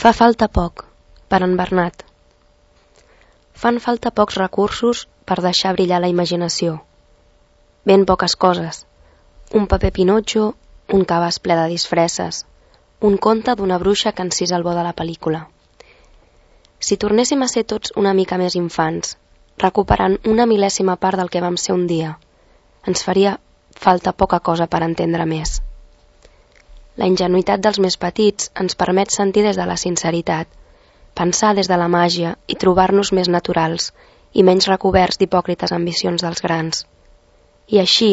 Fa falta poc, per en Bernat. Fan falta pocs recursos per deixar brillar la imaginació. Ben poques coses. Un paper Pinotxo, un cabàs ple de disfresses, un conte d'una bruixa que encisa el bo de la pel·lícula. Si tornéssim a ser tots una mica més infants, recuperant una mil·lèsima part del que vam ser un dia, ens faria falta poca cosa per entendre més. La ingenuïtat dels més petits ens permet sentir des de la sinceritat, pensar des de la màgia i trobar-nos més naturals i menys recoberts d'hipòcrites ambicions dels grans. I així,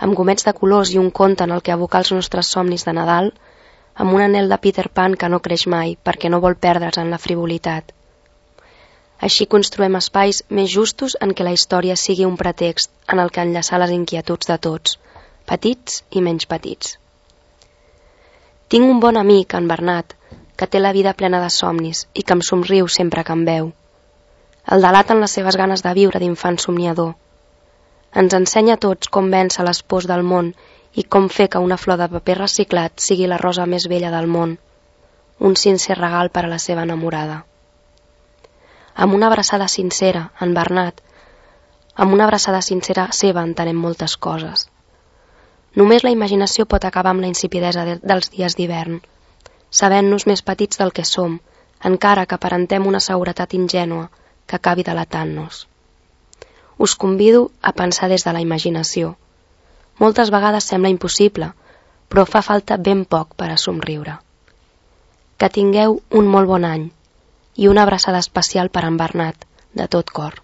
amb gomets de colors i un conte en el que abocar els nostres somnis de Nadal, amb un anel de Peter Pan que no creix mai perquè no vol perdre's en la frivolitat. Així construïm espais més justos en què la història sigui un pretext en el que enllaçar les inquietuds de tots, petits i menys petits. Tinc un bon amic, en Bernat, que té la vida plena de somnis i que em somriu sempre que em veu. El delaten les seves ganes de viure d'infant somniador. Ens ensenya a tots com vèncer les pors del món i com fer que una flor de paper reciclat sigui la rosa més bella del món, un sincer regal per a la seva enamorada. Amb una abraçada sincera, en Bernat, amb una abraçada sincera seva entenem moltes coses. Només la imaginació pot acabar amb la insipidesa dels dies d'hivern, sabent-nos més petits del que som, encara que aparentem una seguretat ingènua que acabi delatant-nos. Us convido a pensar des de la imaginació. Moltes vegades sembla impossible, però fa falta ben poc per a somriure. Que tingueu un molt bon any i una abraçada especial per en Bernat, de tot cor.